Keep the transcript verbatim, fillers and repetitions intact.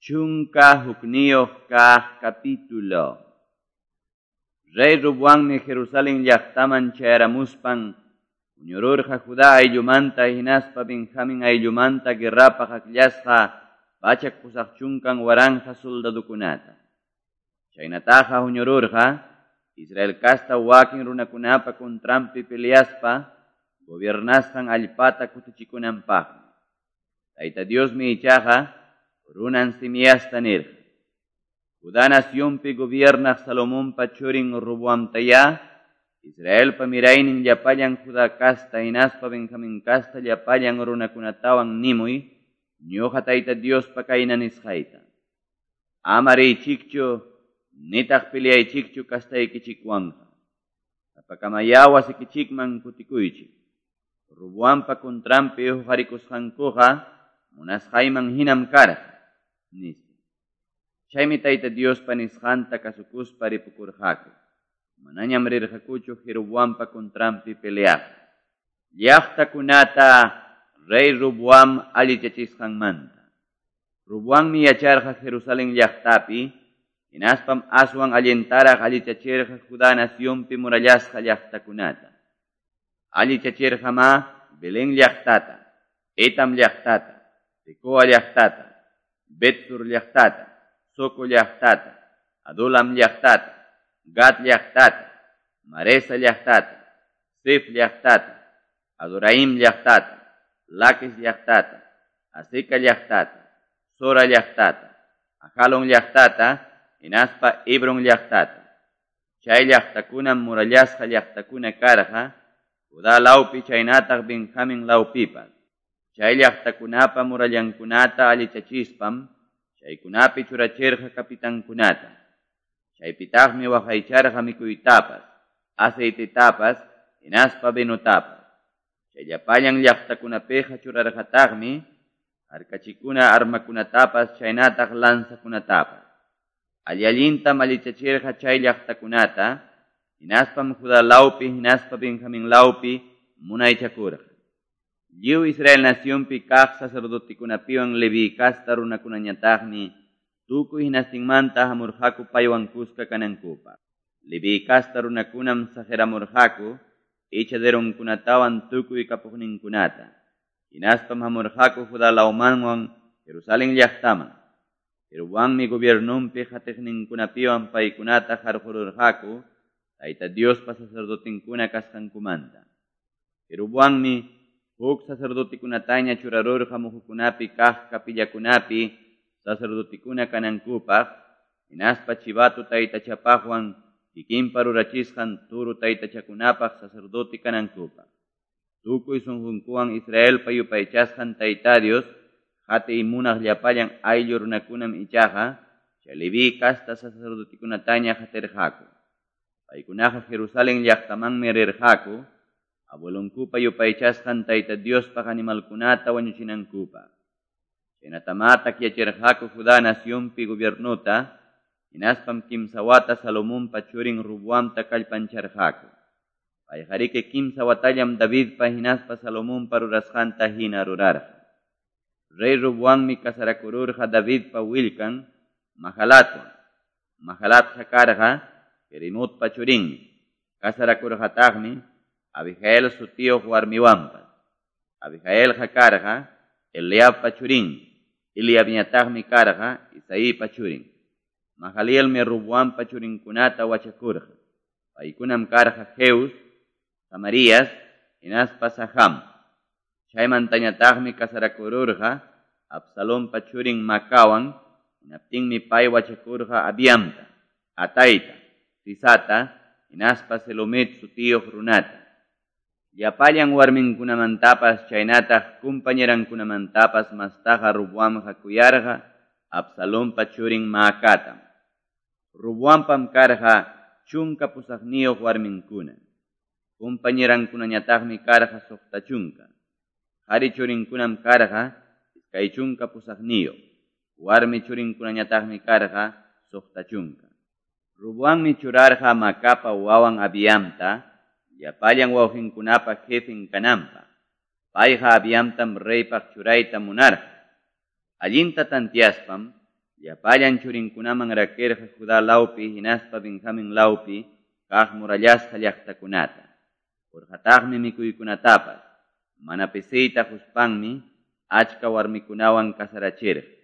Chunka hukniyuq kaq capítulo. Rey Roboammi Jerusalén llaqtaman chayaramuspan huñururqa Judá ayllumanta hinaspa Benjamín ayllumanta guerrapaq akllasqa pachak pusaq chunkan waranqa soldadukunata. Chaynataqa huñururqa Israel kasta wakin runakunapa contranpi peleaspa gobiernasqan allpata kutichikunanpaqmi. Tayta Diosmi ichaqa runan Simiasta nirqa. Judá nacionpi gobiernaq Salomonpa churin Roboamtayá, Israelpa miraynin llapallan Judá kasta hinaspa Benjamín kasta llapallan runakunatawan nimuy, ñuqa Tayta Diospa kayna nisqayta. Ama riychikchu, nitaq peleaychikchu kastaykichikwanqa. Sapakamayá wasikichikman kutikuychik. Roboampa contranpi huqarikusqankuqa munasqayman hinam karqa, nispa. Chaymi Tayta Diospa nisqanta kasukuspa ripukurqaku. Manañam rirqakuchu Jeroboampa contranpi peleaq. Llaqtakunata rey Roboam allichachisqanmanta. Roboammi yacharqa Jerusalén llaqtapi, hinaspam aswan allintaraq allichachirqa Judá nacionpi murallasqa llaqtakunata. Allichachirqamá Belén llaqtata, Etam llaqtata, Tecoa llaqtata, Betsur llaqtata, Soco llaqtata, Adulam llaqtata, Gat llaqtata, Maresa llaqtata, Sif llaqtata, Adoraim llaqtata, Laquis llaqtata, Azeca llaqtata, Sora llaqtata, Ajalon llaqtata, hinaspa Hebron llaqtata. Chay llaqtakunam murallasqa llaqtakuna karqa, Judá lawpi chaynataq Benjamín lawpipas. Chay llaqtakunapa murallankunata allichachispam, chaykunapi churachirqa kapitankunata. Chaypitaqmi waqaycharqa mikuytapas, aceitetapas, hinaspa vinotapas. Chay llapallan llaqtakunapiqa churarqataqmi harkachikuna armakunatapas chaynataq lanzakunatapas. Alli-allintam allichachirqa chay llaqtakunata, hinaspam Judá lawpi hinaspa Benjamín lawpi munaychakurqa. Lliw Israel nacionpi kaq sacerdotikunapiwan Leví kasta runakunañataqmi tukuy hinastinmanta hamurqaku paywan kuska kanankupaq. Leví kasta runakunam saqiramurqaku ichaderunkunatawan tukuy kapuqninkunata. Hinaspam hamurqaku Judá lawmanwan Jerusalén llaqtaman. Jeroboammi gobiernonpi qatiqninkunapiwan paykunata qarqururqaku Tayta Diospa sacerdotinkuna kasqankumanta. Jeroboammi huk sacerdotikunataña churarurqa muhukunapi kaq kapillakunapi sacerdotikuna kanankupaq, hinaspa chivato taytachapaqwan kikinpa rurachisqan turu taytachakunapaq sacerdote kanankupaq. Tukuy sunqunkuwan Israelpa yupaychasqan Tayta Dios, qatiy munaq llapallan ayllu runakunam ichaqa, chay Leví kasta sacerdotikunataña qatirqaku. Paykunaqa Jerusalén llaqtamanmi rirqaku, abuelonkupa yupaychasqan Tayta Diospaq animalkunata wañuchinankupaq. Chaynatamá takyachirqaku Judá nacionpi gobiernota, hinaspam kimsa wata Salomonpa churin Roboamta kallpancharqaku. Payqariki kimsa watallam Davidpa hinaspa Salomonpa rurasqanta hina rurarqa. Rey Roboammi casarakururqa Davidpa willkan Mahalatwan. Mahalatqa karqa Jerimotpa churinmi. Casarakurqataqmi Abigail sutiyuq warmiwanpas. Abigailqa karqa Eliabpa churinmi. Eliabñataqmi karqa Isaipa churin. Mahalielmi Roboampa churinkunata wachakurqa. Paykunam karqa Jeus, Samarías, hinaspa Saham. Chaymantañataqmi casarakururqa Absalonpa churin Macawan, hinaptinmi pay wachakurqa Abiamta, Ataita, Sisata, hinaspa Selomit sutiyuq runata. Llapallan warminkunamantapas chaynataq kumpañerankunamantapas mastaqa Roboamqa kuyarqa Absalonpa churin Maacatam. Roboampam karqa chunka pusaqniyuq warminkuna. Kumpañerankunañataqmi karqa suqta chunka. Qhari churinkunam karqa iskay chunka pusaqniyuq. Warmi churinkunañataqmi karqa suqta chunka. Roboammi churarqa Macapa wawan Abiamta, llapallan wawqinkunapa jefen kananpaq. Payqa Abiamtam reypaq churayta munarqa. Allinta tantiaspam, llapallan churinkunaman rakirqa Juda lawpi hinaspa Benjamin lawpi kaq murallasqa llaqtakunata. Qorqataqmi mikuykunatapas, mana pisiyta qospanmi achka warmikunawan casarachirqa.